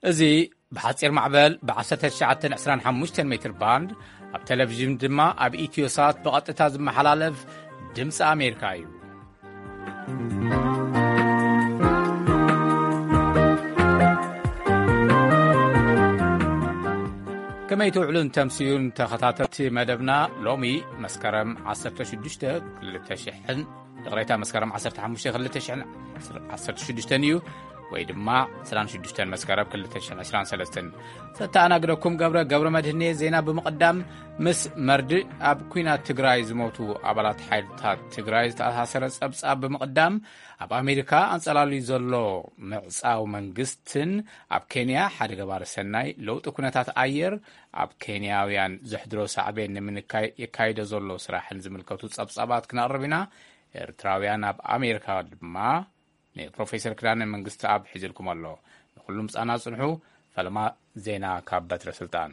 እዚ ብሓጺር ማዕበል ብ1925 ሜትር ባንድ፣ ኣብ ቴሌቪዥን ድማ ኣብ ኢትዮሳት ብቐጥታ ዝመሓላለፍ ድምፂ ኣሜሪካ እዩ። ከመይ ትውዕሉን ተምስዩን ተኸታተልቲ መደብና? ሎሚ መስከረም 16 2000፣ ይቕሬታ፣ መስከረም 15 2016 እዩ፣ ወይ ድማ 26 መስከረም 2023። ዘተኣናግደኩም ገብረ፣ ገብረ መድህኔ። ዜና ብምቕዳም፣ ምስ መርድእ ኣብ ኲናት ትግራይ ዝሞቱ ኣባላት ሓይልታት ትግራይ ዝተኣሳሰረ ጸብጻብ ብምቕዳም፣ ኣብ ኣሜሪካ ኣንጸላልዩ ዘሎ ምዕጻው መንግስትን ኣብ ኬንያ ሓደ ገባሪ ሰናይ ለውጢ ኩነታት ኣየር ኣብ ኬንያውያን ዘሕድሮ ሳዕቤን ንምንካይ የካይዶ ዘሎ ስራሕን ዝምልከቱ ጸብጻባት ክነቕርብ ኢና። ኤርትራውያን ኣብ ኣሜሪካ ድማ ንፕሮፌሰር ክዳነ መንግስቲ ኣብ ሒዝልኩም ኣሎ። ንኹሉም ጻና ጽንሑ። ፈለማ ዜና ካብ በትረ ስልጣን።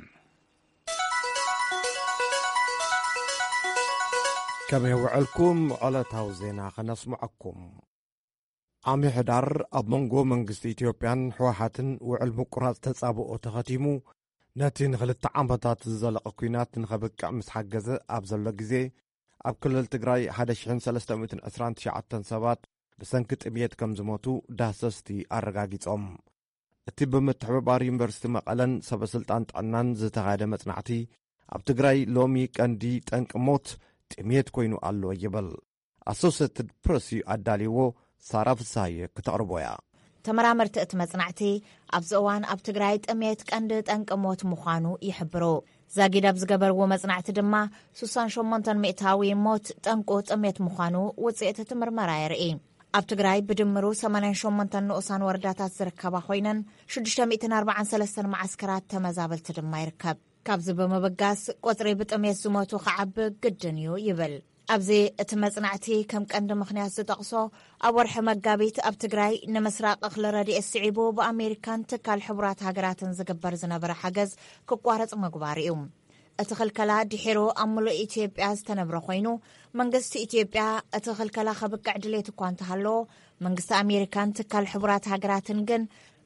ከመይ ውዕልኩም? ዕለታዊ ዜና ከነስምዐኩም። ኣምሕዳር ኣብ መንጎ መንግስቲ ኢትዮጵያን ህወሓትን ውዕል ምቁራጽ ተጻብኦ ተኸቲሙ፣ ነቲ ንኽልተ ዓመታት ዝዘለቐ ኲናት ንኸብቅዕ ምስ ሓገዘ ኣብ ዘሎ ግዜ፣ ኣብ ክልል ትግራይ 1,329 ሰባት ብሰንኪ ጥምየት ከም ዝሞቱ ዳህሰስቲ ኣረጋጊጾም። እቲ ብምትሕብባር ዩኒቨርሲቲ መቐለን ሰበስልጣን ጥዕናን ዝተኻየደ መጽናዕቲ፣ ኣብ ትግራይ ሎሚ ቀንዲ ጠንቂ ሞት ጥምየት ኮይኑ ኣሎ ይብል። ኣሶሴትድ ፕረስ እዩ ኣዳልይዎ፣ ሳራ ፍስሃየ ክተቕርቦ እያ። ተመራመርቲ እቲ መጽናዕቲ፣ ኣብዚ እዋን ኣብ ትግራይ ጥምየት ቀንዲ ጠንቂ ሞት ምዃኑ ይሕብሩ። ዛጊድ ኣብ ዝገበርዎ መጽናዕቲ ድማ፣ 68% ሞት ጠንቁ ጥምየት ምዃኑ ውጽኢት እቲ ምርመራ የርኢ። ኣብ ትግራይ ብድምሩ 88 ንኡሳን ወረዳታት ዝርከባ ኮይነን፣ 643 መዓስከራት ተመዛበልቲ ድማ ይርከብ። ካብዚ ብምብጋስ፣ ቁጽሪ ብጥምየት ዝሞቱ ክዓቢ ግድን እዩ ይብል። ኣብዚ እቲ መጽናዕቲ ከም ቀንዲ ምኽንያት ዝጠቕሶ፣ ኣብ ወርሒ መጋቢት ኣብ ትግራይ ንምስራቕ እኽሊ ረድኤት ስዒቡ ብኣሜሪካን ትካል ሕቡራት ሃገራትን ዝግበር ዝነበረ ሓገዝ ክቋረጽ ምግባር እዩ። እቲ ክልከላ ድሒሩ ኣብ ምሉእ ኢትዮጵያ ዝተነብረ ኮይኑ፣ መንግስቲ ኢትዮጵያ እቲ ክልከላ ከብቅዕ ድሌት እኳ እንተሃለዎ፣ መንግስቲ ኣሜሪካን ትካል ሕቡራት ሃገራትን ግን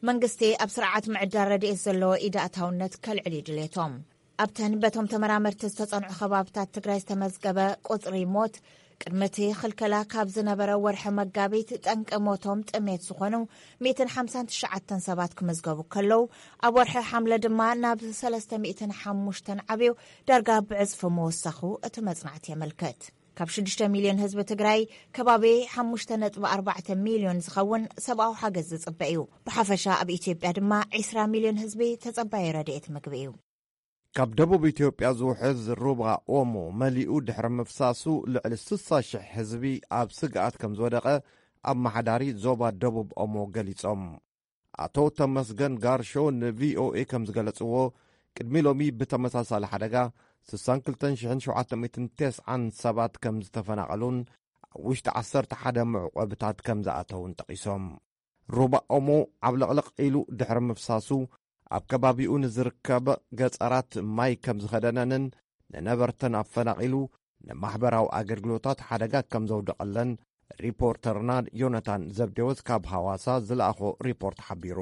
መንግስቲ ኣብ ስርዓት ምዕዳል ረድኤት ዘለዎ ኢዳእታውነት ከልዕል እዩ ድሌቶም። ኣብተን በቶም ተመራመርቲ ዝተጸንዑ ከባብታት ትግራይ ዝተመዝገበ ቁጽሪ ሞት፣ ቅድሚ እቲ ክልከላ ካብ ዝነበረ ወርሒ መጋቢት ጠንቂ ሞቶም ጥሜት ዝኾኑ 159 ሰባት ክምዝገቡ ከለዉ፣ ኣብ ወርሒ ሓምለ ድማ ናብ 305 ዓብዩ ዳርጋ ብዕጽፊ ምወሳኹ እቲ መጽናዕቲ የመልክት። ካብ 6 ሚልዮን ህዝቢ ትግራይ ከባቢ 5.4 ሚልዮን ዝኸውን ሰብኣዊ ሓገዝ ዝጽበ እዩ። ብሓፈሻ ኣብ ኢትዮጵያ ድማ 20 ሚልዮን ህዝቢ ተጸባየ ረድኤት ምግቢ እዩ። ካብ ደቡብ ኢትዮጵያ ዝውሕዝ ሩባ ኦሞ መሊኡ ድሕሪ ምፍሳሱ፣ ልዕሊ 60,000 ህዝቢ ኣብ ስግኣት ከም ዝወደቐ ኣመሓዳሪ ዞባ ደቡብ ኦሞ ገሊጾም። ኣቶ ተመስገን ጋርሾ ንቪኦኤ ከም ዝገለጽዎ፣ ቅድሚ ሎሚ ብተመሳሳሊ ሓደጋ 62,790 ሰባት ከም ዝተፈናቐሉን ኣብ ውሽጢ 11 መዕቆብታት ከም ዝኣተውን ጠቒሶም። ሩባ ኦሞ ዓብለቕለቕ ኢሉ ድሕሪ ምፍሳሱ፣ ኣብ ከባቢኡ ንዝርከበ ገጸራት ማይ ከም ዝኸደነንን ንነበርተን ኣፈናቒሉ ንማሕበራዊ ኣገልግሎታት ሓደጋ ከም ዘውደቐለን ሪፖርተርና ዮናታን ዘብዴዎስ ካብ ሃዋሳ ዝለኣኾ ሪፖርት ሓቢሩ።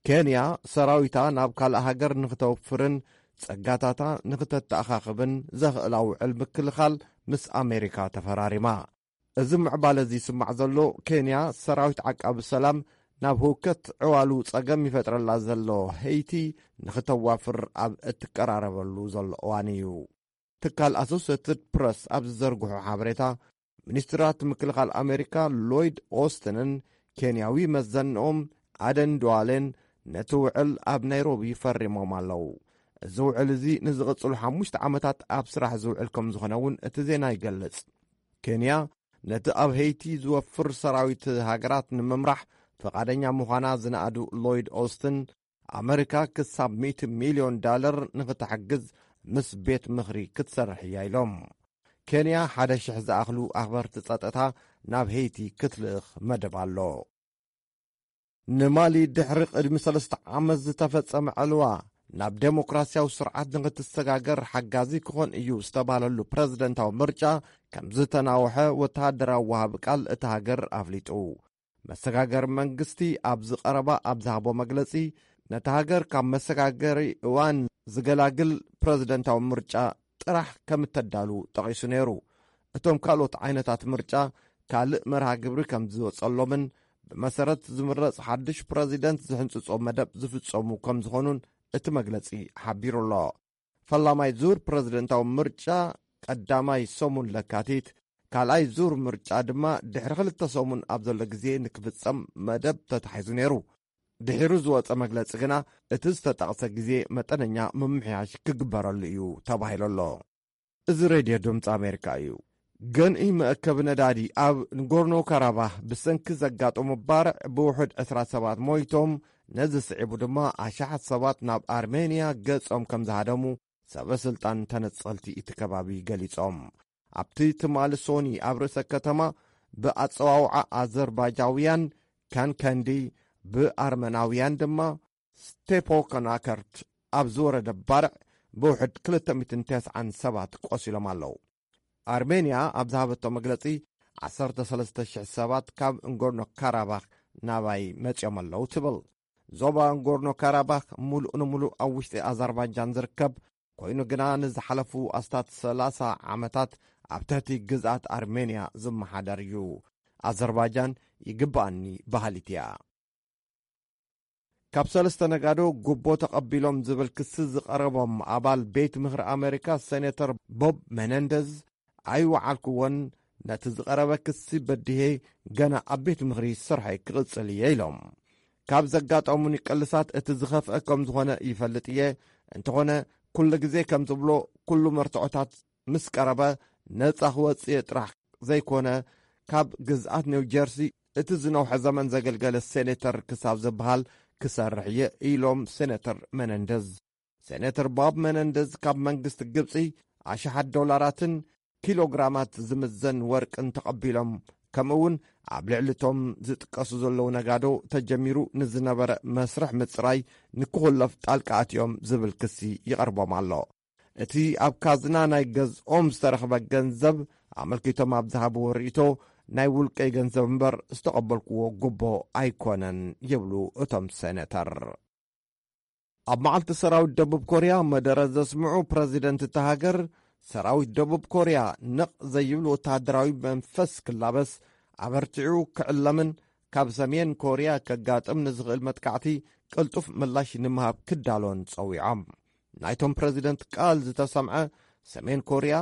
ኬንያ ሰራዊታ ናብ ካልእ ሃገር ንክተውፍርን ጸጋታታ ንክተተኣኻኽብን ዘኽእላ ውዕል ምክልኻል ምስ ኣሜሪካ ተፈራሪማ። እዚ ምዕባለ እዚ ይስማዕ ዘሎ፣ ኬንያ ሰራዊት ዓቃቢ ሰላም ናብ ህውከት ዕዋሉ ጸገም ይፈጥረላ ዘሎ ሄይቲ ንክተዋፍር ኣብ እትቀራረበሉ ዘሎ እዋን እዩ። ትካል ኣሶሴትድ ፕረስ ኣብ ዝዘርግሖ ሓበሬታ፣ ሚኒስትራት ምክልኻል ኣሜሪካ ሎይድ ኦስትንን ኬንያዊ መዘንኦም ኣደን ዱዋሌን ነቲ ውዕል ኣብ ናይሮቢ ፈሪሞም ኣለዉ። እዚ ውዕል እዚ ንዝቕጽሉ ሓሙሽተ ዓመታት ኣብ ስራሕ ዝውዕል ከም ዝኾነ እውን እቲ ዜና ይገልጽ። ኬንያ ነቲ ኣብ ሄይቲ ዝወፍር ሰራዊት ሃገራት ንምምራሕ ፈቓደኛ ምዃና ዝነኣዱ ሎይድ ኦስትን፣ ኣመሪካ ክሳብ ሚእቲ ሚልዮን ዳለር ንኽትሕግዝ ምስ ቤት ምኽሪ ክትሰርሕ እያ ኢሎም። ኬንያ ሓደ ሽሕ ዝኣኽሉ ኣኽበርቲ ጸጥታ ናብ ሄይቲ ክትልእኽ መደብ ኣሎ። ንማሊ ድሕሪ ቅድሚ ሰለስተ ዓመት ዝተፈጸመ ዕልዋ ናብ ዴሞክራሲያዊ ስርዓት ንኽትሰጋገር ሓጋዚ ክኾን እዩ ዝተባህለሉ ፕረዚደንታዊ ምርጫ ከም ዝተናውሐ ወተሃደራዊ ወሃቢ ቃል እታ ሃገር ኣፍሊጡ። መሰጋገሪ መንግስቲ ኣብዚ ቀረባ ኣብ ዝሃቦ መግለጺ፣ ነታ ሃገር ካብ መሰጋገሪ እዋን ዝገላግል ፕረዚደንታዊ ምርጫ ጥራሕ ከም እተዳሉ ጠቒሱ ነይሩ። እቶም ካልኦት ዓይነታት ምርጫ ካልእ መርሃ ግብሪ ከም ዝወጸሎምን ብመሰረት ዝምረጽ ሓድሽ ፕረዚደንት ዝሕንጽጾ መደብ ዝፍጸሙ ከም ዝኾኑን እቲ መግለጺ ሓቢሩ ኣሎ። ፈላማይ ዙር ፕረዚደንታዊ ምርጫ ቀዳማይ ሰሙን ለካቲት፣ ካልኣይ ዙር ምርጫ ድማ ድሕሪ ክልተ ሰሙን ኣብ ዘሎ ግዜ ንክፍጸም መደብ ተታሒዙ ነይሩ። ድሒሩ ዝወጸ መግለጺ ግና፣ እቲ ዝተጠቕሰ ግዜ መጠነኛ ምምሕያሽ ክግበረሉ እዩ ተባሂሉ ኣሎ። እዚ ሬድዮ ድምፂ ኣሜሪካ እዩ። ገንኢ መእከቢ ነዳዲ ኣብ ንጎርኖ ካራባህ ብሰንኪ ዘጋጠሙ ባርዕ ብውሑድ ዕስራ ሰባት ሞይቶም፣ ነዚ ስዒቡ ድማ ኣሽሓት ሰባት ናብ ኣርሜንያ ገጾም ከም ዝሃደሙ ሰበ ስልጣን ተነጸልቲ እቲ ከባቢ ገሊጾም። ኣብቲ ትማሊ ሶኒ ኣብ ርእሰ ከተማ ብኣጸዋውዓ ኣዘርባጃውያን ካንከንዲ፣ ብኣርመናውያን ድማ ስቴፖ ከናከርት ኣብ ዝወረደ ባርዕ ብውሕድ ክልተ ሚእትን ተስዓን ሰባት ቆሲሎም ኣለዉ። ኣርሜንያ ኣብ ዝሃበቶ መግለጺ፣ ዓሰርተ ሰለስተ ሽሕ ሰባት ካብ እንጎርኖ ካራባኽ ናባይ መጺኦም ኣለዉ ትብል። ዞባ እንጎርኖ ካራባኽ ምሉእ ንምሉእ ኣብ ውሽጢ ኣዘርባጃን ዝርከብ ኮይኑ ግና፣ ንዝሓለፉ ኣስታት ሰላሳ ዓመታት ኣብ ትሕቲ ግዝኣት ኣርሜንያ ዝመሓደር እዩ። ኣዘርባጃን ይግባኣኒ በሃሊት እያ። ካብ ሰለስተ ነጋዶ ጉቦ ተቐቢሎም ዝብል ክሲ ዝቐረቦም ኣባል ቤት ምኽሪ ኣሜሪካ ሴኔተር ቦብ መነንደዝ፣ ኣይወዓልኩዎን፣ ነቲ ዝቐረበ ክሲ በዲሄ ገና ኣብ ቤት ምኽሪ ስርሐይ ክቕጽል እየ ኢሎም። ካብ ዘጋጠሙኒ ቅልሳት እቲ ዝኸፍአ ከም ዝኾነ ይፈልጥ እየ። እንተኾነ፣ ኩሉ ግዜ ከም ዝብሎ፣ ኩሉ መርትዖታት ምስ ቀረበ ነጻ ክወጽእ እየ ጥራሕ ዘይኮነ፣ ካብ ግዝኣት ኒው ጀርሲ እቲ ዝነውሐ ዘመን ዘገልገለ ሴኔተር ክሳብ ዝበሃል ክሰርሕ እየ ኢሎም ሴኔተር መነንደዝ። ሴኔተር ቦብ መነንደዝ ካብ መንግስቲ ግብጺ ኣሽሓት ዶላራትን ኪሎግራማት ዝምዘን ወርቅን ተቐቢሎም፣ ከምኡ እውን ኣብ ልዕሊ እቶም ዝጥቀሱ ዘለዉ ነጋዶ ተጀሚሩ ንዝነበረ መስርሕ ምጽራይ ንክኹለፍ ጣልቃ ኣትዮም ዝብል ክሲ ይቐርቦም ኣሎ። እቲ ኣብ ካዝና ናይ ገዝኦም ዝተረኽበ ገንዘብ ኣመልኪቶም ኣብ ዝሃብዎ ርእይቶ፣ ናይ ውልቀይ ገንዘብ እምበር ዝተቐበልክዎ ጉቦ ኣይኮነን ይብሉ እቶም ሴኔተር። ኣብ መዓልቲ ሰራዊት ደቡብ ኮርያ መደረ ዘስምዑ ፕረዚደንት እታ ሃገር፣ ሰራዊት ደቡብ ኮርያ ነቕ ዘይብል ወተሃደራዊ መንፈስ ክላበስ፣ ኣበርቲዑ ክዕለምን ካብ ሰሜን ኮርያ ከጋጥም ንዝኽእል መጥቃዕቲ ቅልጡፍ ምላሽ ንምሃብ ክዳሎን ጸዊዖም። ናይቶም ፕረዚደንት ቃል ዝተሰምዐ፣ ሰሜን ኮርያ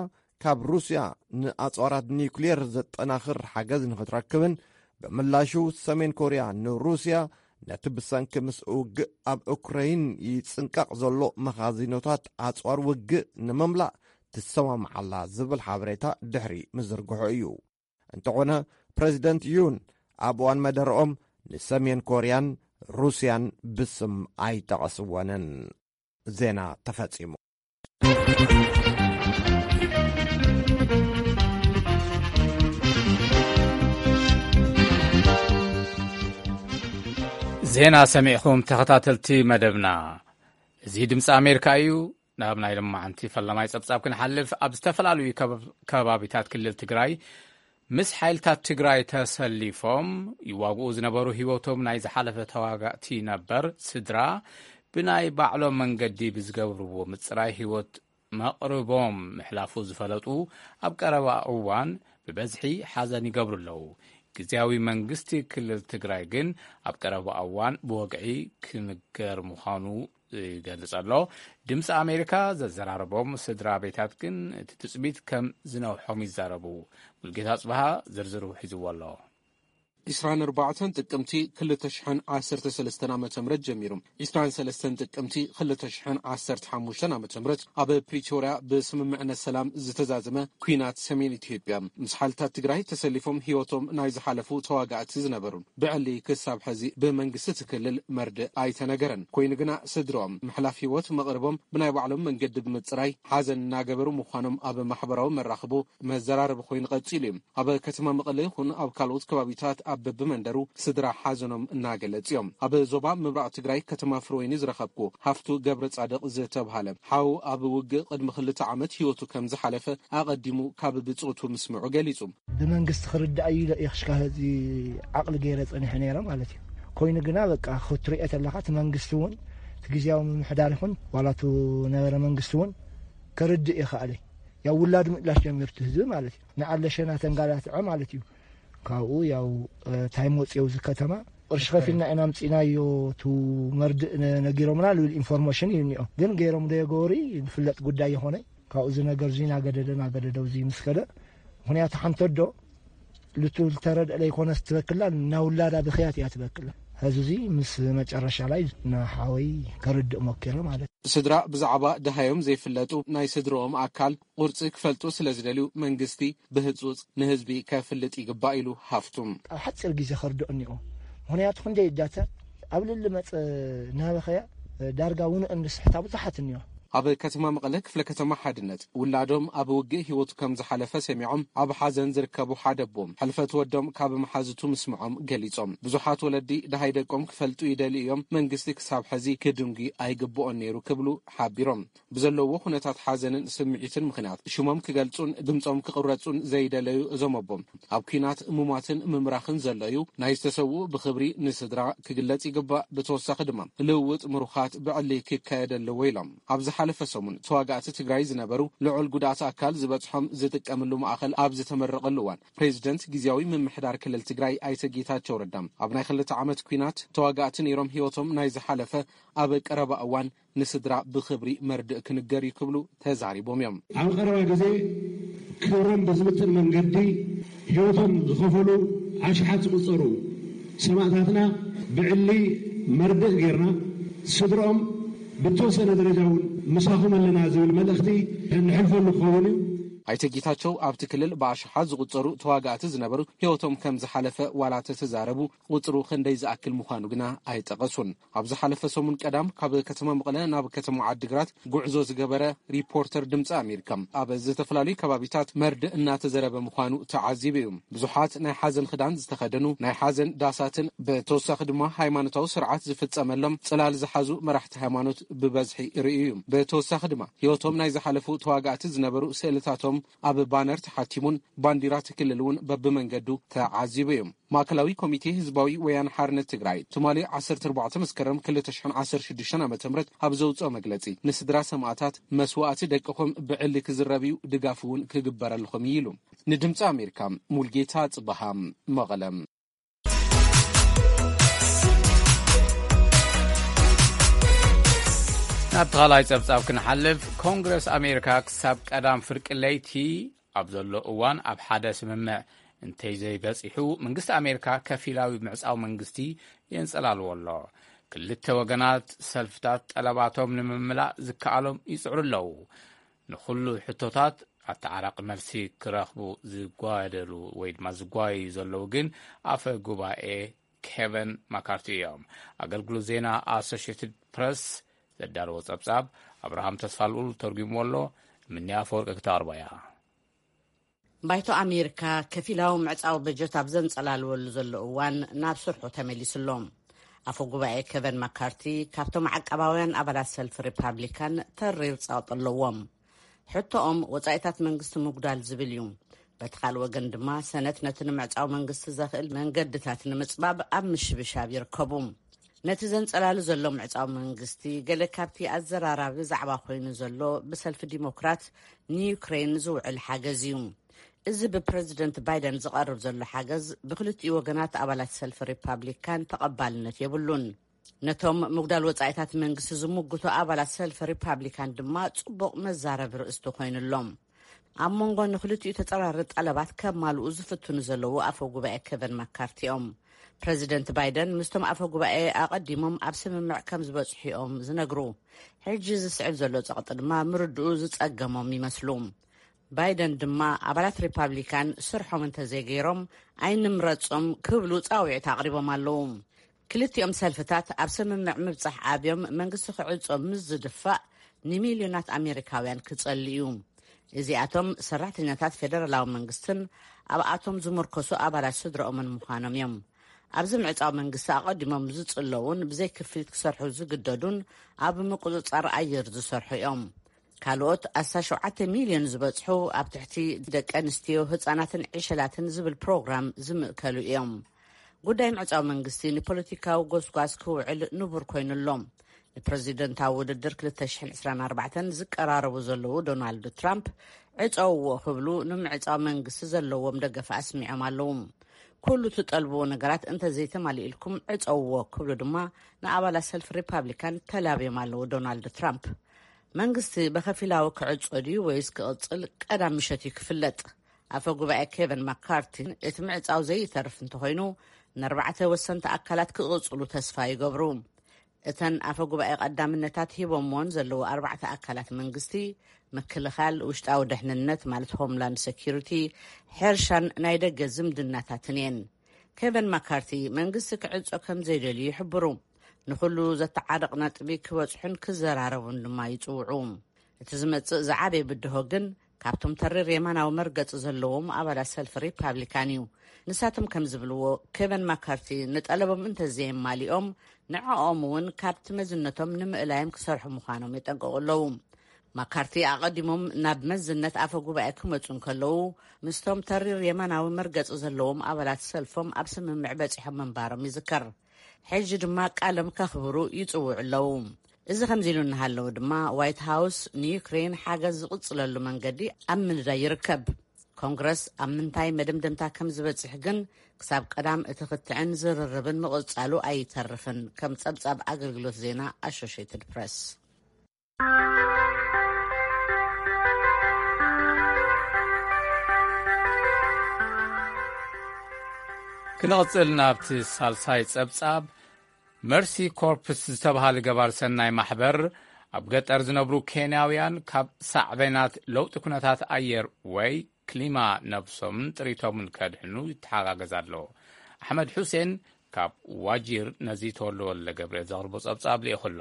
ካብ ሩስያ ንኣጽዋራት ኒውክሌር ዘጠናኽር ሓገዝ ንኽትረክብን፣ ብምላሹ ሰሜን ኮርያ ንሩስያ ነቲ ብሰንኪ ምስ ውግእ ኣብ ኡክረይን ይጽንቀቕ ዘሎ መኻዚኖታት ኣጽዋር ውግእ ንምምላእ ትሰማምዓላ ዝብል ሓበሬታ ድሕሪ ምዝርግሑ እዩ። እንተኾነ፣ ፕረዚደንት ዩን ኣብ እዋን መደረኦም ንሰሜን ኮርያን ሩስያን ብስም ኣይጠቐስወንን። ዜና ተፈጺሙ። ዜና ሰሚዕኹም ተኸታተልቲ መደብና። እዚ ድምፂ ኣሜሪካ እዩ። ናብ ናይ ሎማዓንቲ ፈላማይ ጸብጻብ ክንሓልፍ፣ ኣብ ዝተፈላለዩ ከበ-፣ ከባቢታት ክልል ትግራይ ምስ ሓይልታት ትግራይ ተሰሊፎም ይዋግኡ ዝነበሩ ህይወቶም ናይ ዝሓለፈ ተዋጋእቲ ነበር ስድራ ብናይ ባዕሎም መንገዲ ብዝገብርዎ ምጽራይ ህይወት መቕርቦም ምሕላፉ ዝፈለጡ ኣብ ቀረባ እዋን ብበዝሒ ሓዘን ይገብሩ ኣለዉ። ግዝያዊ መንግስቲ ክልል ትግራይ ግን ኣብ ቀረባ እዋን ብወግዒ ክንገር ምዃኑ ይገልጽ ኣሎ። ድምፂ ኣሜሪካ ዘዘራረቦም ስድራ ቤታት ግን እቲ ትጽቢት ከም ዝነውሖም ይዛረቡ። ሙልጌታ ጽብሃ ዝርዝሩ ሒዝዎ ኣሎ። ዕስራን ኣርባዕተን ጥቅምቲ ክልተ ሽሕን ዓሰርተ ሰለስተን ዓመተ ምህረት ጀሚሩ፣ ዕስራን ሰለስተን ጥቅምቲ ክልተ ሽሕን ዓሰርተ ሓሙሽተን ዓመተ ምህረት ኣብ ፕሪቶርያ ብስምምዕነት ሰላም ዝተዛዘመ ኲናት ሰሜን ኢትዮጵያ፣ ምስ ሓይልታት ትግራይ ተሰሊፎም ህይወቶም ናይ ዝሓለፉ ተዋጋእቲ ዝነበሩን ብዕሊ ክሳብ ሕዚ ብመንግስቲ እቲ ክልል መርድእ ኣይተነገረን። ኮይኑ ግና ስድሮም ምሕላፍ ህይወት መቕርቦም ብናይ ባዕሎም መንገዲ ብምጽራይ ሓዘን እናገበሩ ምዃኖም ኣብ ማሕበራዊ መራኽቦ መዘራረቢ ኮይኑ ቀጺሉ እዩ። ኣብ ከተማ መቐለ ይኹን ኣብ ካልኦት ከባቢታት ኣብ በብመንደሩ ስድራ ሓዘኖም እናገለጹ እዮም። ኣብ ዞባ ምብራቕ ትግራይ ከተማ ፍርወይኒ ዝረኸብኩ ሃፍቱ ገብረ ጻድቕ ዝተብሃለ ሓው ኣብ ውግእ ቅድሚ ክልተ ዓመት ህይወቱ ከም ዝሓለፈ ኣቐዲሙ ካብ ብጾቱ ምስምዑ ገሊጹ። ብመንግስቲ ክርዳእ እዩ ኢለ እየ ክሽካ ህዚ ዓቕሊ ገይረ ጸኒሐ ነይረ ማለት እዩ። ኮይኑ ግና በቃ ክትሪኦ ተለኻ እቲ መንግስቲ እውን እቲ ግዜያዊ ምምሕዳር ይኹን ዋላ እቲ ነበረ መንግስቲ እውን ከርድእ ይኽኣለ። ያው ውላድ ምእላሽ ጀሚሩ እቲ ህዝቢ ማለት እዩ። ንዓለሸና ተንጋላትዐ ማለት እዩ። ካብኡ ያው እ፣ ታይ መፅዮ እዚ ከተማ ቅርሺ ከፊልና ኢና ምፅናዮ፣ ቱ መርድእ ነ- ነጊሮምና ልብል ኢንፎርሜሽን እዩ እኒኦ። ግን ገይሮም ዶ የገበሩ ዝፍለጥ ጉዳይ ይኾነ። ካብኡ እዚ ነገር እዚ ናገደደ ናገደደ እዚ ምስ ከደ ምክንያቱ ሓንተ ዶ ልቱ ልተረድእ ለይኮነ ስትበክላ ናውላዳ ብክያት እያ ትበክላ። ሕዚ እዚ ምስ መጨረሻ ላይ ንሓወይ ከርድእ ሞኪረ ማለት እዩ። ስድራ ብዛዕባ ድሃዮም ዘይፍለጡ ናይ ስድርኦም ኣካል ቁርፂ ክፈልጡ ስለ ዝደልዩ መንግስቲ ብህፁፅ ንህዝቢ ከፍልጥ ይግባእ ኢሉ ሃፍቱም። ኣብ ሓፂር ግዜ ከርድኦ እኒኦ። ምክንያቱ ክንደይ እዳተ ኣብ ልሊ መፀ ናበኸያ ዳርጋ ውንኦ እንድስሕታ ብዙሓት እኒኦ። ኣብ ከተማ መቐለ ክፍለ ከተማ ሓድነት ውላዶም ኣብ ውግእ ህይወቱ ከም ዝሓለፈ ሰሚዖም ኣብ ሓዘን ዝርከቡ ሓደ ኣቦ ሕልፈት ወዶም ካብ መሓዝቱ ምስምዖም ገሊጾም። ብዙሓት ወለዲ ደሃይ ደቆም ክፈልጡ ይደልዩ እዮም፣ መንግስቲ ክሳብ ሕዚ ክድንጉ ኣይግብኦን ነይሩ ክብሉ ሓቢሮም። ብዘለዎ ኩነታት ሓዘንን ስምዒትን ምኽንያት ሽሞም ክገልጹን ድምጾም ክቕረጹን ዘይደለዩ እዞም ኣቦ ኣብ ኲናት ሙማትን ምምራኽን ዘሎ እዩ። ናይ ዝተሰውኡ ብኽብሪ ንስድራ ክግለጽ ይግባእ። ብተወሳኺ ድማ ልውውጥ ምሩኻት ብዕሊ ክካየድ ኣለዎ ኢሎም። ኣብ ዝሓለፈ ሰሙን ተዋጋእቲ ትግራይ ዝነበሩ ልዑል ጉድኣት ኣካል ዝበጽሖም ዝጥቀምሉ ማእኸል ኣብ ዝተመረቐሉ እዋን ፕሬዚደንት ግዜያዊ ምምሕዳር ክልል ትግራይ ኣይተ ጌታቸው ረዳ ኣብ ናይ ክልተ ዓመት ኲናት ተዋጋእቲ ነይሮም ህይወቶም ናይ ዝሓለፈ ኣብ ቀረባ እዋን ንስድራ ብኽብሪ መርድእ ክንገር እዩ ክብሉ ተዛሪቦም እዮም። ኣብ ቀረባ ግዜ ክብሮም ብዝምጥን መንገዲ ህይወቶም ዝኸፈሉ ኣሽሓት ዝቑጸሩ ሰማእታትና ብዕሊ መርድእ ጌርና ስድሮም ብተወሰነ ደረጃ እውን ምሳኹም ኣለና ዝብል መልእኽቲ እንሕልፈሉ ክኸውን እዩ። ኣይተ ጌታቸው ኣብቲ ክልል ብኣሽሓት ዝቑጸሩ ተዋጋእቲ ዝነበሩ ህይወቶም ከም ዝሓለፈ ዋላ ተተዛረቡ ቁጽሩ ክንደይ ዝኣክል ምዃኑ ግና ኣይጠቐሱን። ኣብ ዝሓለፈ ሰሙን ቀዳም ካብ ከተማ መቐለ ናብ ከተማ ዓዲግራት ጉዕዞ ዝገበረ ሪፖርተር ድምፂ ኣሜሪካ ኣብ ዝተፈላለዩ ከባቢታት መርድእ እናተዘረበ ምዃኑ ተዓዚቡ እዩ። ብዙሓት ናይ ሓዘን ክዳን ዝተኸደኑ ናይ ሓዘን ዳሳትን ብተወሳኺ ድማ ሃይማኖታዊ ስርዓት ዝፍፀመሎም ፅላል ዝሓዙ መራሕቲ ሃይማኖት ብበዝሒ ርእዩ እዩ። ብተወሳኺ ድማ ህይወቶም ናይ ዝሓለፉ ተዋጋእቲ ዝነበሩ ስእልታቶም ኣብ ባነር ተሓቲሙን ባንዲራ እቲ ክልል እውን በብመንገዱ ተዓዚቡ እዩ። ማእከላዊ ኮሚቴ ህዝባዊ ወያነ ሓርነት ትግራይ ትማሊ ዓሰርተ ኣርባዕተ መስከረም ክልተ ሽሕን ዓሰርተ ሽዱሽተን ዓመተ ምህረት ኣብ ዘውፅኦ መግለፂ ንስድራ ሰማእታት መስዋእቲ ደቅኹም ብዕሊ ክዝረብ እዩ፣ ድጋፍ እውን ክግበረልኹም እዩ ኢሉ። ንድምፂ ኣሜሪካ ሙልጌታ ጽበሃ መቐለ። ናብ ተኻላይ ጸብጻብ ክንሓልፍ፣ ኮንግረስ ኣሜሪካ ክሳብ ቀዳም ፍርቂ ለይቲ ኣብ ዘሎ እዋን ኣብ ሓደ ስምምዕ እንተይዘይበጺሑ፣ መንግስቲ ኣሜሪካ ከፊላዊ ምዕጻው መንግስቲ የንጸላልዎ ኣሎ። ክልተ ወገናት ሰልፍታት ጠለባቶም ንምምላእ ዝከኣሎም ይጽዕሩ ኣለዉ። ንኹሉ ሕቶታት ኣተዓራቂ መልሲ ክረኽቡ ዝጓደሉ ወይ ድማ ዝጓዩ ዘለዉ ግን ኣፈ ጉባኤ ኬቨን ማካርቲ እዮም። ኣገልግሎት ዜና ኣሶሽየትድ ፕረስ ዘዳለዎ ጸብጻብ ኣብርሃም ተስፋልኡል ተርጉምዎ ኣሎ። ምንያ ኣፈወርቂ ክተቕርቦ እያ። ባይቶ ኣሜሪካ ከፊላዊ ምዕጻዊ በጀት ኣብ ዘንጸላልወሉ ዘሎ እዋን ናብ ስርሑ ተመሊሱ ኣሎ። ኣፈ ጉባኤ ኬቨን ማካርቲ ካብቶም ዓቃባውያን ኣባላት ሰልፊ ሪፓብሊካን ተሪር ጸቕጢ ኣለዎም። ሕቶኦም ወጻኢታት መንግስቲ ምጉዳል ዝብል እዩ። በቲ ካልእ ወገን ድማ ሰነት ነቲ ንምዕጻው መንግስቲ ዘኽእል መንገድታት ንምጽባብ ኣብ ምሽብሻብ ይርከቡ። ነቲ ዘንጸላሉ ዘሎ ምዕጻው መንግስቲ ገለ ካብቲ ኣዘራራቢ ዛዕባ ኮይኑ ዘሎ ብሰልፊ ዲሞክራት ንዩክሬን ዝውዕል ሓገዝ እዩ። እዚ ብፕረዚደንት ባይደን ዝቐርብ ዘሎ ሓገዝ ብክልቲኡ ወገናት ኣባላት ሰልፊ ሪፓብሊካን ተቐባልነት የብሉን። ነቶም ምጉዳል ወጻኢታት መንግስቲ ዝምጉቱ ኣባላት ሰልፊ ሪፓብሊካን ድማ ጽቡቕ መዛረቢ ርእስቲ ኮይኑሎም። ኣብ መንጎ ንክልቲኡ ተጸራሪ ጠለባት ከማልኡ ዝፍትኑ ዘለዉ ኣፈ ጉባኤ ኬቨን ማካርቲ እዮም። ፕረዚደንት ባይደን ምስቶም ኣፈ ጉባኤ ኣቐዲሞም ኣብ ስምምዕ ከም ዝበጽሑ እዮም ዝነግሩ። ሕጂ ዝስዕብ ዘሎ ጸቕጢ ድማ ምርድኡ ዝጸገሞም ይመስሉ። ባይደን ድማ ኣባላት ሪፓብሊካን ስርሖም እንተዘይገይሮም ኣይንምረጾም ክብሉ ጻውዒት ኣቕሪቦም ኣለዉ። ክልቲኦም ሰልፍታት ኣብ ስምምዕ ምብጻሕ ኣብዮም መንግስቲ ክዕጾ ምስ ዝድፋእ ንሚልዮናት ኣሜሪካውያን ክጸሊ እዩ። እዚኣቶም ሰራሕተኛታት ፌደራላዊ መንግስትን ኣብኣቶም ዝምርኮሱ ኣባላት ስድራኦምን ምዃኖም እዮም። ኣብዚ ምዕጻው መንግስቲ ኣቐዲሞም ዝጽለዉን ብዘይ ክፍሊት ክሰርሑ ዝግደዱን ኣብ ምቁጽጻር ኣየር ዝሰርሑ እዮም። ካልኦት ኣስታት ሸውዓተ ሚልዮን ዝበጽሑ ኣብ ትሕቲ ደቂ ኣንስትዮ፣ ህጻናትን ዕሸላትን ዝብል ፕሮግራም ዝምእከሉ እዮም። ጉዳይ ምዕጻው መንግስቲ ንፖለቲካዊ ጎስጓስ ክውዕል ንቡር ኮይኑ ኣሎ። ንፕረዚደንታዊ ውድድር ክልተ ሽሕን ዕስራን ኣርባዕተን ዝቀራረቡ ዘለዉ ዶናልድ ትራምፕ ዕጸውዎ ክብሉ ንምዕጻው መንግስቲ ዘለዎም ደገፍ ኣስሚዖም ኣለዉ። ኩሉ ትጠልብዎ ነገራት እንተዘይተማሊእልኩም ዕጸውዎ ክብሉ ድማ ንኣባላት ሰልፊ ሪፓብሊካን ተላብዮም ኣለዉ ዶናልድ ትራምፕ። መንግስቲ ብኸፊላዊ ክዕጾ ድዩ ወይስ ክቕጽል ቀዳም ምሸት እዩ ክፍለጥ። ኣፈ ጉባኤ ኬቨን ማካርቲ እቲ ምዕጻው ዘይተርፍ እንተኾይኑ ንኣርባዕተ ወሰንቲ ኣካላት ክቕጽሉ ተስፋ ይገብሩ። እተን ኣፈ ጉባኤ ቀዳምነታት ሂቦምዎን ዘለዉ ኣርባዕተ ኣካላት መንግስቲ፣ ምክልኻል፣ ውሽጣዊ ድሕንነት ማለት ሆምላንድ ሴኪሪቲ፣ ሕርሻን ናይ ደገ ዝምድናታትን እየን። ኬቨን ማካርቲ መንግስቲ ክዕጾ ከም ዘይደልዩ ይሕብሩ። ንኹሉ ዘተዓርቕ ነጥቢ ክበጽሑን ክዘራረቡን ድማ ይጽውዑ። እቲ ዝመጽእ ዝዓበየ ብድሆ ግን ካብቶም ተሪር የማናዊ መርገጺ ዘለዎም ኣባላት ሰልፊ ሪፓብሊካን እዩ። ንሳቶም ከም ዝብልዎ፣ ኬቨን ማካርቲ ንጠለቦም እንተዘየማሊኦም ንዕኦም እውን ካብቲ መዝነቶም ንምእላዮም ክሰርሑ ምዃኖም የጠንቅቑ ኣለዉ። ማካርቲ ኣቐዲሞም ናብ መዝነት ኣፈ ጉባኤ ክመጹ እንከለዉ ምስቶም ተሪር የማናዊ መርገጺ ዘለዎም ኣባላት ሰልፎም ኣብ ስምምዕ በጺሖም ምንባሮም ይዝከር። ሕጂ ድማ ቃሎም ከኽብሩ ይጽውዑ ኣለዉ። እዚ ከምዚ ኢሉ እናሃለዉ ድማ ዋይት ሃውስ ንዩክሬን ሓገዝ ዝቕጽለሉ መንገዲ ኣብ ምንዳይ ይርከብ። ኮንግረስ ኣብ ምንታይ መደምደምታ ከም ዝበጽሕ ግን ክሳብ ቀዳም እቲ ክትዕን ዝርርብን ምቕጻሉ ኣይተርፍን፣ ከም ጸብጻብ ኣገልግሎት ዜና ኣሶሽየትድ ፕረስ። ክንቕጽል ናብቲ ሳልሳይ ጸብጻብ። መርሲ ኮርፕስ ዝተባሃለ ገባር ሰናይ ማሕበር ኣብ ገጠር ዝነብሩ ኬንያውያን ካብ ሳዕቤናት ለውጢ ኩነታት ኣየር ወይ ክሊማ ነብሶምን ጥሪቶምን ከድሕኑ ይተሓጋገዝ ኣሎ። ኣሕመድ ሑሴን ካብ ዋጂር ነዚ ተወልደ ወልደ ገብርኤል ዘቕርቦ ጸብጻብ ልኢኹ ኣሎ።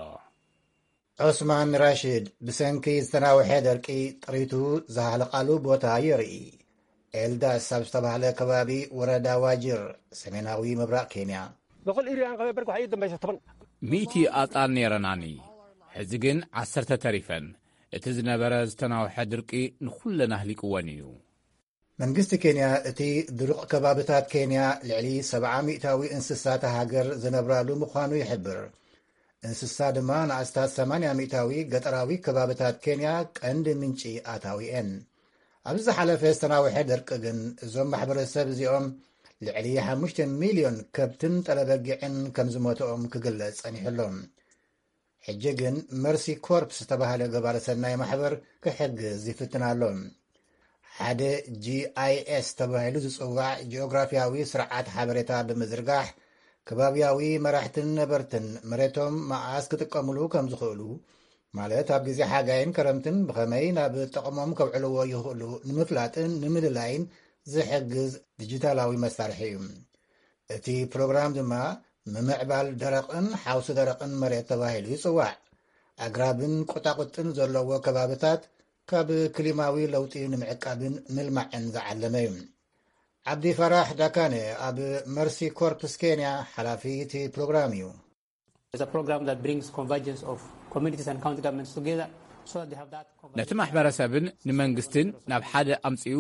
ዑስማን ራሽድ ብሰንኪ ዝተናውሐ ደርቂ ጥሪቱ ዝሃለቓሉ ቦታ የርኢ። ኤልዳስ ኣብ ዝተባህለ ከባቢ ወረዳ ዋጅር፣ ሰሜናዊ ምብራቕ ኬንያ። በኩል ኢሪያን ከበበር ጓሓይ ደም ባይሰተበን። ሚእቲ ኣጣል ነይረናኒ፣ ሕዚ ግን ዓሰርተ ተሪፈን። እቲ ዝነበረ ዝተናውሐ ድርቂ ንኹለን ኣህሊቅወን እዩ። መንግስቲ ኬንያ እቲ ድሩቕ ከባብታት ኬንያ ልዕሊ ሰብዓ ሚእታዊ እንስሳት ሃገር ዝነብራሉ ምዃኑ ይሕብር። እንስሳ ድማ ንኣስታት ሰማንያ ሚእታዊ ገጠራዊ ከባብታት ኬንያ ቀንዲ ምንጪ ኣታዊ እየን። ኣብዚ ዝሓለፈ ዝተናውሐ ደርቂ ግን እዞም ማሕበረሰብ እዚኦም ልዕሊ ሓሙሽተ ሚልዮን ከብትን ጠለበጊዕን ከም ዝሞትኦም ክግለጽ ጸኒሑ ኣሎ። ሕጂ ግን መርሲ ኮርፕስ ዝተባህለ ገባሪ ሰናይ ማሕበር ክሕግዝ ይፍትን ኣሎ። ሓደ ጂ ኣይ ኤስ ተባሂሉ ዝጽዋዕ ጂኦግራፊያዊ ስርዓት ሓበሬታ ብምዝርጋሕ፣ ከባብያዊ መራሕትን ነበርትን መሬቶም መኣስ ክጥቀምሉ ከም ዝኽእሉ፣ ማለት ኣብ ግዜ ሓጋይን ክረምትን ብኸመይ ናብ ጥቕሞም ከውዕልዎ ይኽእሉ ንምፍላጥን ንምልላይን ዝሕግዝ ዲጂታላዊ መሳርሒ እዩ። እቲ ፕሮግራም ድማ ምምዕባል ደረቕን ሓውሲ ደረቕን መሬት ተባሂሉ ይጽዋዕ። ኣግራብን ቁጣቁጥን ዘለዎ ከባብታት ካብ ክሊማዊ ለውጢ ንምዕቃብን ምልማዕን ዝዓለመ እዩ። ዓብዲ ፈራሕ ዳካነ ኣብ መርሲ ኮርፕስ ኬንያ ሓላፊ እቲ ፕሮግራም እዩ። It's a program that brings convergence of communities and county governments together so that they have that convergence. ነቲ ማሕበረሰብን ንመንግስትን ናብ ሓደ ኣምጺኡ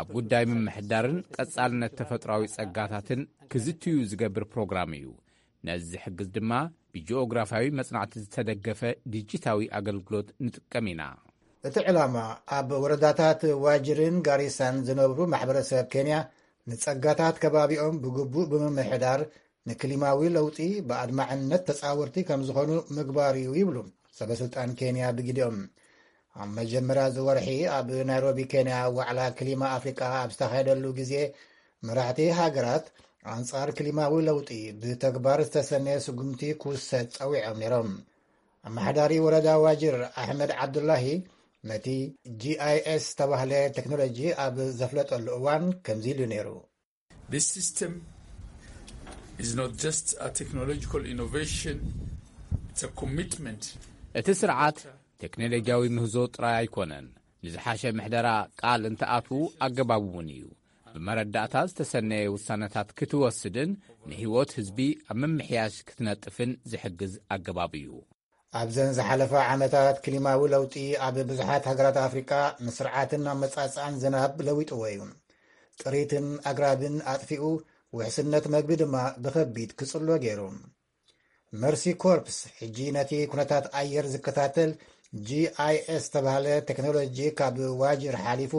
ኣብ ጉዳይ ምምሕዳርን ቀጻልነት ተፈጥሯዊ ጸጋታትን ክዝትዩ ዝገብር ፕሮግራም እዩ። ነዚ ዝሕግዝ ድማ ብጂኦግራፍያዊ መጽናዕቲ ዝተደገፈ ዲጂታዊ ኣገልግሎት ንጥቀም ኢና። እቲ ዕላማ ኣብ ወረዳታት ዋጅርን ጋሪሳን ዝነብሩ ማሕበረሰብ ኬንያ ንጸጋታት ከባቢኦም ብግቡእ ብምምሕዳር ንክሊማዊ ለውጢ ብኣድማዕነት ተጻወርቲ ከም ዝኾኑ ምግባር እዩ ይብሉ ሰበስልጣን ኬንያ ብግዲኦም። ኣብ መጀመርያ እዚ ወርሒ ኣብ ናይሮቢ ኬንያ ዋዕላ ክሊማ ኣፍሪቃ ኣብ ዝተኻየደሉ ግዜ መራሕቲ ሃገራት ኣንጻር ክሊማዊ ለውጢ ብተግባር ዝተሰነየ ስጉምቲ ክውሰድ ጸዊዖም ነይሮም። ኣመሓዳሪ ወረዳ ዋጅር ኣሕመድ ዓብዱላሂ ነቲ ጂ ኣይ ኤስ ዝተባህለ ቴክኖሎጂ ኣብ ዘፍለጠሉ እዋን ከምዚ ኢሉ ነይሩ። This system is not just a technological innovation, it's a commitment. እቲ ስርዓት ቴክኖሎጂያዊ ምህዞ ጥራይ ኣይኮነን፣ ንዝሓሸ ምሕደራ ቃል እንትኣትዉ ኣገባብ እውን እዩ። ብመረዳእታ ዝተሰነየ ውሳነታት ክትወስድን ንህይወት ህዝቢ ኣብ ምምሕያሽ ክትነጥፍን ዝሕግዝ ኣገባብ እዩ። ኣብዘን ዝሓለፋ ዓመታት ክሊማዊ ለውጢ ኣብ ብዙሓት ሃገራት ኣፍሪቃ ንስርዓትን ኣመጻጽኣን ዝናብ ለዊጥዎ እዩ። ጥሪትን ኣግራብን ኣጥፊኡ፣ ውሕስነት መግቢ ድማ ብኸቢድ ክጽሎ ገይሩ። መርሲ ኮርፕስ ሕጂ ነቲ ኩነታት ኣየር ዝከታተል ጂ ኣይ ኤስ ዝተባህለ ቴክኖሎጂ ካብ ዋጅር ሓሊፉ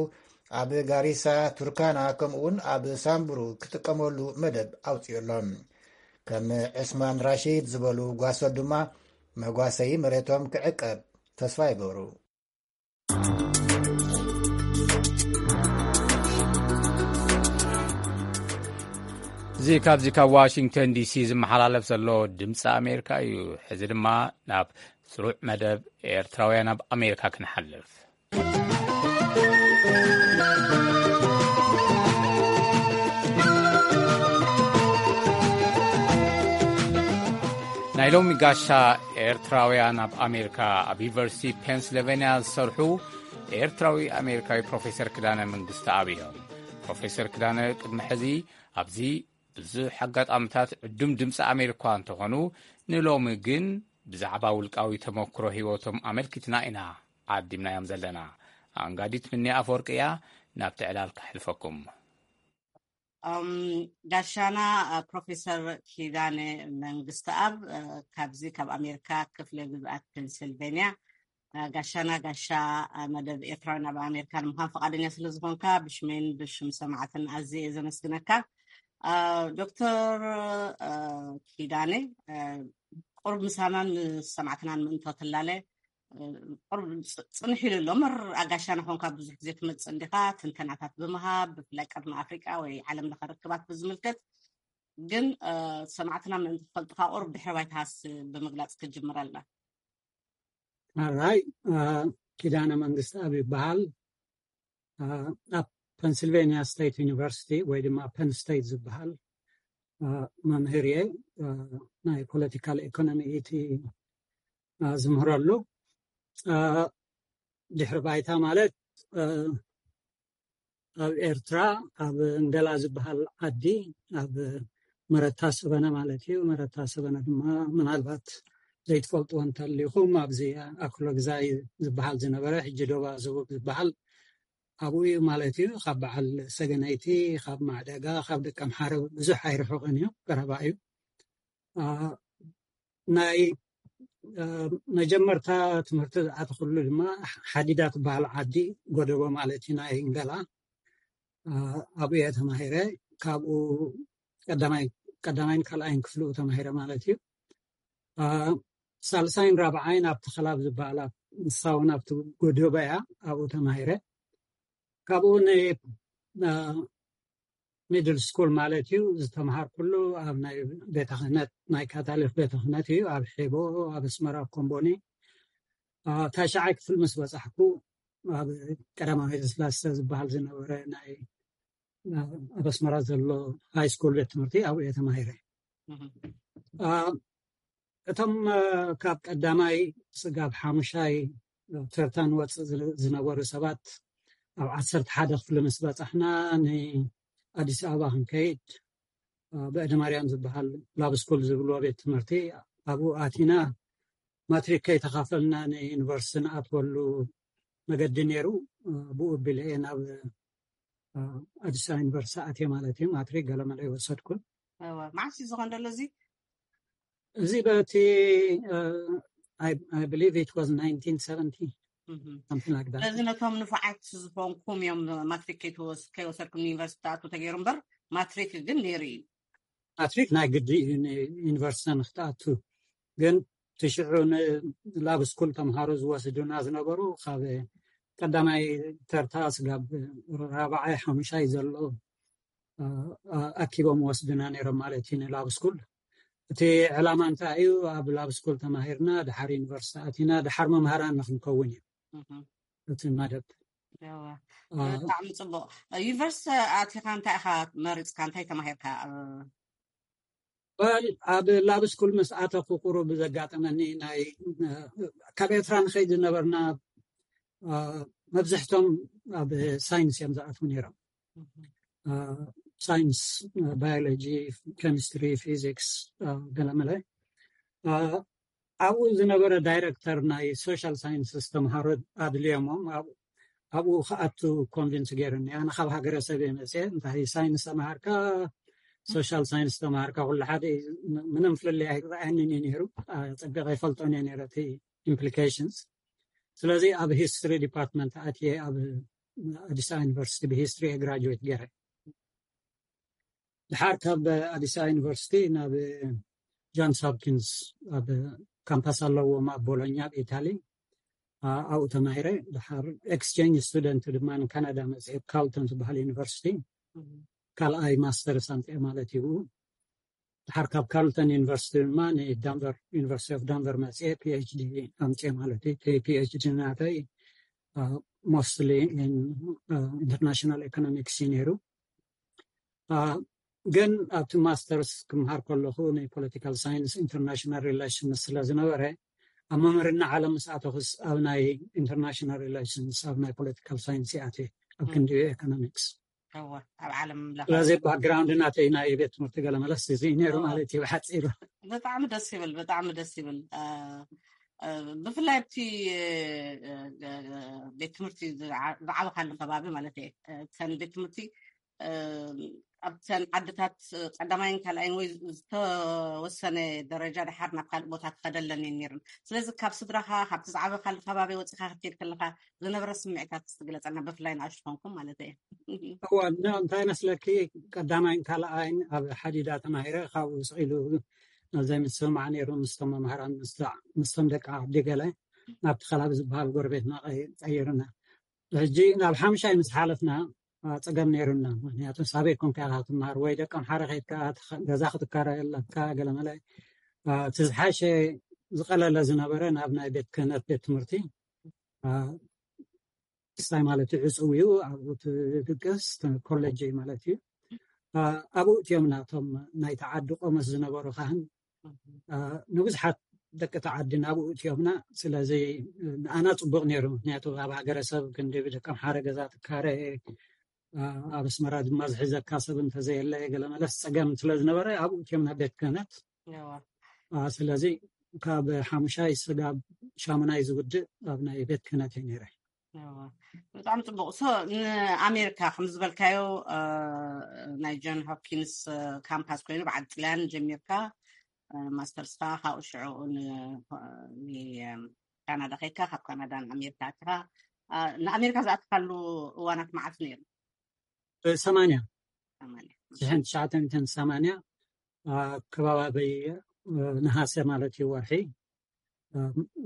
ኣብ ጋሪሳ፣ ቱርካና ከምኡውን ኣብ ሳምቡሩ ክጥቀመሉ መደብ ኣውፅኡ ኣሎ። ከም ዕስማን ራሺድ ዝበሉ ጓሶት ድማ መጓሰዪ መሬቶም ክዕቀብ ተስፋ ይገብሩ። እዚ ካብዚ ካብ ዋሽንግተን ዲሲ ዝመሓላለፍ ዘሎ ድምፂ ኣሜሪካ እዩ። ሕዚ ድማ ናብ ስሩዕ መደብ ኤርትራውያን ኣብ ኣሜሪካ ክንሓልፍ። ናይ ሎሚ ጋሻ ኤርትራውያን ኣብ ኣሜሪካ፣ ኣብ ዩኒቨርሲቲ ፔንስልቬንያ ዝሰርሑ ኤርትራዊ ኣሜሪካዊ ፕሮፌሰር ክዳነ መንግስተኣብ እዮም። ፕሮፌሰር ክዳነ ቅድሚ ሕዚ ኣብዚ ብዙሕ ኣጋጣምታት ዕዱም ድምፂ ኣሜሪካ እንተኾኑ፣ ንሎሚ ግን ብዛዕባ ውልቃዊ ተመክሮ ህይወቶም ኣመልኪትና ኢና ዓዲምናዮም ዘለና። ኣንጋዲት ምኒ ኣፈወርቂ እያ፣ ናብቲ ዕላል ከሕልፈኩም። እም፣ ጋሻና፣ እ፣ ፕሮፌሰር ኪዳነ መንግስተኣብ፣ እ፣ ካብዚ ካብ ኣሜሪካ ክፍለ ግዝኣት ፔንስልቬንያ፣ እ፣ ጋሻና፣ ጋሻ፣ እ፣ መደብ ኤርትራውያን ኣብ ኣሜሪካ ንምዃን ፈቓደኛ ስለ ዝኾንካ ብሽመይን ብሽም ሰማዕትን ኣዝየ እየ ዘመስግነካ። እ፣ ዶክተር፣ እ፣ ኪዳነ፣ እ፣ ቁሩብ ምሳናን ምስ ሰማዕትናን ምእንቶ ትላለ፣ ቁሩብ ጽ-፣ ጽንሕ ኢሉ ኣሎ። እምበር ኣጋሻና ኾንካ ብዙሕ ግዜ ትመጽእ እንዲኻ፣ ትንተናታት ብምሃብ፣ ብፍላይ ቅድሚ ኣፍሪቃ ወይ ዓለም ለኸ ርክባት ብዝምልከት። ግን፣ እ፣ ሰማዕትና ምእንቲ ክፈልጡኻ ቁሩብ ድሕረ ባይታኻስ ብምግላጽ ክትጅምረልና። ኣራይ፣ እ፣ ኪዳነ መንግስተኣብ ይበሃል። እ፣ ኣብ ፐንስልቬንያ ስቴት ዩኒቨርሲቲ ወይ ድማ ፐን ስቴት ዝበሃል፣ እ፣ መምህር እየ። እ፣ ናይ ፖለቲካል ኢኮኖሚ እቲ፣ እ፣ ዝምህረሉ፣ እ፣ ድሕሪ ባይታ ማለት፣ እ፣ ኣብ ኤርትራ ኣብ እንገላ ዝበሃል ዓዲ፣ ኣብ መረታ ሰበነ ማለት እዩ። መረታ ሰበነ ድማ ምናልባት ዘይትፈልጥዎ እንተሊኹም፣ ኣብዚ ኣክሎግዛይ ዝበሃል ዝነበረ፣ ሕጂ ዶባ ዝቡብ ዝበሃል፣ ኣብኡ እዩ ማለት እዩ። ካብ በዓል ሰገነይቲ፣ ካብ ማዕደጋ፣ ካብ ደቀምሓረ ብዙሕ ኣይርሕቕን እዩ፣ ቀረባ እዩ። እ፣ ናይ፣ እ፣ መጀመርታ ትምህርቲ ዝኣተኹሉ ድማ ሓዲዳ ትበሃል ዓዲ፣ ጎደቦ ማለት እዩ፣ ናይ እንገላ። እ፣ ኣብኡ እየ ተማሂረ። ካብኡ ቀዳማይ፣ ቀዳማይን ካልኣይን ክፍልኡ ተማሂረ ማለት እዩ። እ፣ ሳልሳይን ራብዓይን ኣብ ተኸላ ኣብ ዝበሃል፣ ኣብ፣ ንሳ እውን ኣብቲ ጎደቦ እያ፣ ኣብኡ ተማሂረ። ካብኡ ን-፣ እ፣ ሚድል ስኩል ማለት እዩ ዝተምሃርኩሉ ኣብ ናይ ቤተ ክህነት፣ ናይ ካታሊክ ቤተ ክህነት እዩ፣ ኣብ ሒቦ፣ ኣብ ኣስመራ፣ ኣብ ኮምቦኒ። እ፣ ታሽዓይ ክፍል ምስ በጻሕኩ፣ ኣብ ቀዳማዊ ኃይለ ሥላሴ ዝበሃል ዝነበረ ናይ፣ እ፣ ኣብ ኣስመራ ዘሎ ሃይ ስኩል ቤት ትምህርቲ ኣብኡ እየ ተማሂረ። እህ። እ፣ እቶም፣ እ፣ ካብ ቀዳማይ ስጋብ ሓሙሻይ ተርታ ንወፅእ ዝነ-፣ ዝነበሩ ሰባት፣ ኣብ ዓሰርተ ሓደ ክፍሊ ምስ በጻሕና፣ ንኣዲስ ኣበባ ክንከይድ፣ እ፣ ብዕደ ማርያም ዝበሃል ላብ ስኩል ዝብልዎ ቤት ትምህርቲ፣ ኣብኡ ኣቲና፣ ማትሪክ ከይተኻፈልና ንዩኒቨርሲቲ ንኣትወሉ መገዲ ነይሩ። እ፣ ብኡ ኣቢለ እየ ናብ፣ እ፣ ኣዲስ ኣበባ ዩኒቨርሲቲ ኣትየ ማለት እዩ። ማትሪክ ገለመለ ይወሰድኩን። እወ፣ መዓስ እዩ ዝኾን ዘሎ እዚ? እዚ በቲ፣ እ፣ I, I believe it was nineteen seventy, እህ። Something like that. ስለዚ ነቶም ንፉዓት ዝኾንኩም እዮም ማትሪክ ከይትወስ-፣ ከይወሰድኩም ንዩኒቨርሲቲ ትኣትዉ ተገይሩ እምበር፣ ማትሪክ ግን ነይሩ እዩ። ማትሪክ ናይ ግዲ እዩ ንዩኒቨርሲቲ ንክትኣቱ። ግን ትሽዑ ንላብ ስኩል ተምሃሮ ዝወስዱና ዝነበሩ፣ ካብ ቀዳማይ ተርታ ስጋብ ራብዓይ ሓሙሻይ ዘሎ፣ እ፣ እ፣ ኣኪቦም ወስዱና ነይሮም ማለት እዩ ንላብ ስኩል። እቲ ዕላማ እንታይ እዩ? ኣብ ላብ ስኩል ተማሂርና፣ ድሓር ዩኒቨርሲቲ ኣቲና፣ ድሓር መምሃራን ንክንከውን እዩ እህ። እቲ መደብ። እወ። እ፣ ብጣዕሚ ጽቡቕ። ዩኒቨርሲቲ ኣቲኻ እንታይ ኢኻ መሪጽካ? እንታይ ተማሂርካ? እ፣ ወል፣ ኣብ ላብ ስኩል ምስ ኣተኹ ቁሩብ ዘጋጠመኒ ናይ፣ እ፣ ካብ ኤርትራ ንኸይድ ዝነበርና፣ እ፣ መብዝሕቶም ኣብ ሳይንስ እዮም ዝኣትዉ ነይሮም። እህ። ሳይንስ፣ ባዮሎጂ፣ ኬሚስትሪ፣ ፊዚክስ፣ ገለመለ። ኣብኡ ዝነበረ ዳይረክተር ናይ ሶሻል ሳይንስስ ተምሃሮ ኣድልዮሞም ኣብኡ ክኣቱ ኮንቪንስ ገይሩኒ። ኣነ ካብ ሃገረሰብ እየ መፅየ። እንታይ ሳይንስ ተምሃርካ፣ ሶሻል ሳይንስ ተምሃርካ፣ ኩሉ ሓደ እዩ። ምንም ፍልልይ ኣይረኣየንን እዩ ነይሩ። ፀቢቐ ይፈልጦን እየ ነይረ እቲ ኢምፕሊኬሽንስ። ስለዚ ኣብ ሂስትሪ ዲፓርትመንት ኣትየ ኣብ ኣዲስ ኣበባ ዩኒቨርሲቲ ብሂስትሪ እየ ግራጁዌት ገይረ። ድሓር ካብ ኣዲስ ኣበባ ዩኒቨርሲቲ ናብ ጆንስ ሆፕኪንስ ኣብ ካምፓስ ኣለዎም ኣብ ቦሎኛ ኣብ ኢታሊ፣ ኣብኡ ተማሂረ። ድሓር ኤክስቼንጅ ስቱደንት ድማ ንካናዳ መፅኤ፣ ካልተን ዝበሃል ዩኒቨርሲቲ ካልኣይ ማስተርስ ኣምፅኤ ማለት እዩ። ድሓር ካብ ካልተን ዩኒቨርሲቲ ድማ ንዳንቨር፣ ዩኒቨርሲቲ ኦፍ ዳንቨር መፅኤ ፒኤችዲ ኣምፅኤ ማለት እዩ። ፒኤችዲ ናተይ ሞስትሊ ኢንተርናሽናል ኢኮኖሚክስ እዩ ነይሩ። ግን ኣብቲ ማስተርስ ክምሃር ከለኹ ናይ ፖለቲካል ሳይንስ ኢንተርናሽናል ሪሌሽንስ ስለ ዝነበረ፣ ኣብ ምምርና ዓለም ምስ ኣተኹስ ኣብ ናይ ኢንተርናሽናል ሪሌሽንስ፣ ኣብ ናይ ፖለቲካል ሳይንስ ይኣት ኣብ ክንዲ ኢኮኖሚክስ። ኣብ ዓለም ስለዚ ባክግራውንድ ናተይ ናይ ቤት ትምህርቲ ገለ መለስ እዚ ነይሩ ማለት እዩ ብሓፂሩ። ብጣዕሚ ደስ ይብል፣ ብጣዕሚ ደስ ይብል። ብፍላይ ኣብቲ ቤት ትምህርቲ ዝዓበኻሉ ከባቢ ማለት እየ። እተን ቤት ትምህርቲ ኣብተን ዓድታት ቀዳማይን ካልኣይን ወይ ዝተወሰነ ደረጃ ድሓር ናብ ካልእ ቦታ ክኸደለን እየን ነይረን። ስለዚ ካብ ስድራኻ፣ ካብቲ ዝዓበኻሉ ከባቢ ወፂኻ ክትከይድ ከለኻ ዝነበረ ስምዒታት ክትግለፀልና፣ ብፍላይ ንኣሽቱ ኮንኩም ማለት እየ። እዋ፣ እንታይ መስለኪ፣ ቀዳማይን ካልኣይን ኣብ ሓዲዳ ተማሂረ፣ ካብኡ ስቕ ኢሉ ዘይ ምስምማዕ ነይሩ ምስቶም መምሃራን ምስቶም ደቂ ዓዲ ገለ ናብቲ ከባቢ ዝበሃል ጎረቤትና ቀይርና። ሕጂ ናብ ሓምሻይ ምስ ሓለፍና ፀገም ነይሩና። ምክንያቱ ሳበይ ኮንካ ኢካ ትምሃር ወይ ደቀምሓረ ከይድካ ገዛ ክትከራይ ኣለካ ገለመለ። እቲ ዝሓሸ ዝቀለለ ዝነበረ ናብ ናይ ቤት ክህነት ቤት ትምህርቲ ክስታይ ማለት እዩ ዕፅው እዩ። ኣብኡ ትድቅስ ኮሌጅ ማለት እዩ። ኣብኡ እትዮም ናቶም ናይ ተዓዲ ቆመስ ዝነበሩ ካህን ንብዙሓት ደቂ ተዓዲ ናብኡ እትዮምና። ስለዚ ንኣና ፅቡቅ ነይሩ። ምክንያቱ ኣብ ሃገረሰብ ክንዲ ብደቀምሓረ ገዛ ትካረ፣ ኣብ ኣስመራ ድማ ዝሕዘካ ሰብ እንተዘየለ ገለ መለስ ፀገም ስለዝነበረ ኣብኡ እትዮምና ቤት ክህነት። ስለዚ ካብ ሓሙሻይ ስጋብ ሻሙናይ ዝውድእ ኣብ ናይ ቤት ክህነት እየ ነይረ። ብጣዕሚ ፅቡቅ። ንኣሜሪካ ከም ዝበልካዮ ናይ ጆን ሆፕኪንስ ካምፓስ ኮይኑ በዓል ጥልያን ጀሚርካ ማስተርስካ ካብኡ ሽዑ ካናዳ ከይድካ ካብ ካናዳ ንኣሜሪካ ኣትኻ። ንኣሜሪካ ዝኣትካሉ እዋናት መዓት ነይሩ? ሰማንያ ሽሕን ትሽዓተ ሚእትን ሰማንያ ከባቢ ነሃሰ ማለት እዩ ወርሒ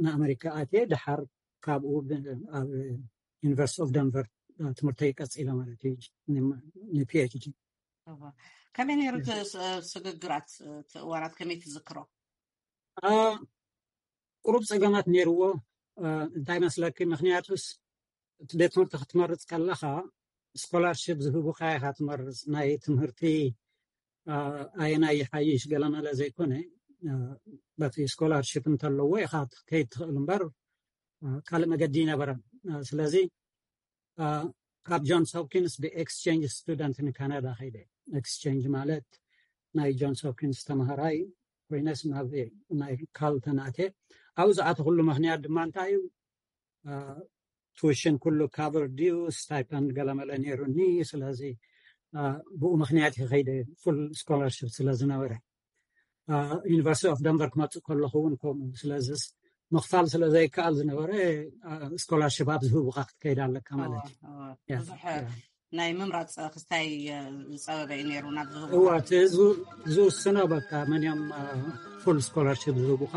ንኣመሪካ ኣትየ። ድሓር ካብኡ ኣብ ዩኒቨርሲቲ ኦፍ ደንቨር ትምህርተይ ቀፂለ ማለት እዩ ንፒኤችዲ። ከመይ ነይሩ ስግግራት እዋናት ከመይ ትዝክሮ? ቁሩብ ፀገማት ነይርዎ። እንታይ መስለኪ? ምክንያቱስ እቲ ቤት ትምህርቲ ክትመርፅ ከለካ ስኮላርሽፕ ዝህቡካ ኢካ ትመርፅ። ናይ ትምህርቲ ኣየናይ ይሓይሽ ገለመለ ዘይኮነ፣ በቲ ስኮላርሽፕ እንተለዎ ኢካ ክትከይድ ትኽእል እምበር ካልእ መገዲ ይነበረን። ስለዚ ካብ ጆንስ ሆፕኪንስ ብኤክስቼንጅ ስቱደንት ንካናዳ ከይደ። ኤክስቼንጅ ማለት ናይ ጆንስ ሆፕኪንስ ተምሃራይ ኮይነስ ናብ ናይ ካልተን ኣትየ። ኣብኡ ዝኣተኹሉ ምክንያት ድማ እንታይ እዩ? ቱሽን ኩሉ ካቨር ድዩ? ስታይፐንድ ገለመለ ነይሩኒ። ስለዚ ብኡ ምክንያት ይኸይደ፣ ፉል ስኮላርሽፕ ስለ ዝነበረ። ዩኒቨርሲቲ ኦፍ ደንቨር ክመፅእ ከለኹ እውን ከምኡ። ስለዚ ምኽፋል ስለ ዘይከኣል ዝነበረ ስኮላርሽፕ ኣብ ዝህቡካ ክትከይድ ኣለካ ማለት እዩ። ብዙሕ ናይ ምምራፅ ክስታይ ዝፀበበ እዩ ነይሩ ናብ ዝህቡ። እዋ፣ እቲ ህዝቡ ዝውስኖ በቃ መን እዮም ፉል ስኮላርሽፕ ዝህቡካ፣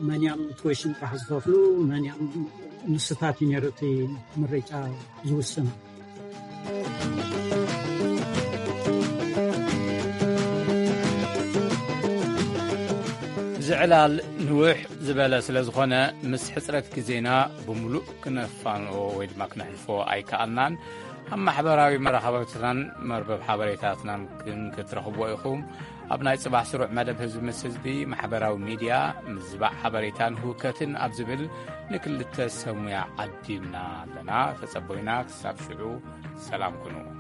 መን እዮም ቱዊሽን ጥራሕ ዝኸፍሉ፣ መን እዮም፣ ንስታት እዩ ነይሩ እቲ ምርጫ ዝውስኖ። እዚ ዕላል ንውሕ ዝበለ ስለ ዝኾነ ምስ ሕፅረት ግዜና ብምሉእ ክነፋንኦ ወይ ድማ ክነሕልፎ ኣይከኣልናን። ኣብ ማሕበራዊ መራኸብትናን መርበብ ሓበሬታትናን ግን ክትረኽብዎ ኢኹም። ኣብ ናይ ጽባሕ ስሩዕ መደብ ህዝቢ ምስ ህዝቢ፣ ማሕበራዊ ሚድያ፣ ምዝባዕ ሓበሬታን ህውከትን ኣብ ዝብል ንክልተ ሰሙያ ዓዲምና ኣለና። ተጸቦይና ክሳብ ሽዑ ሰላም ኩኑ።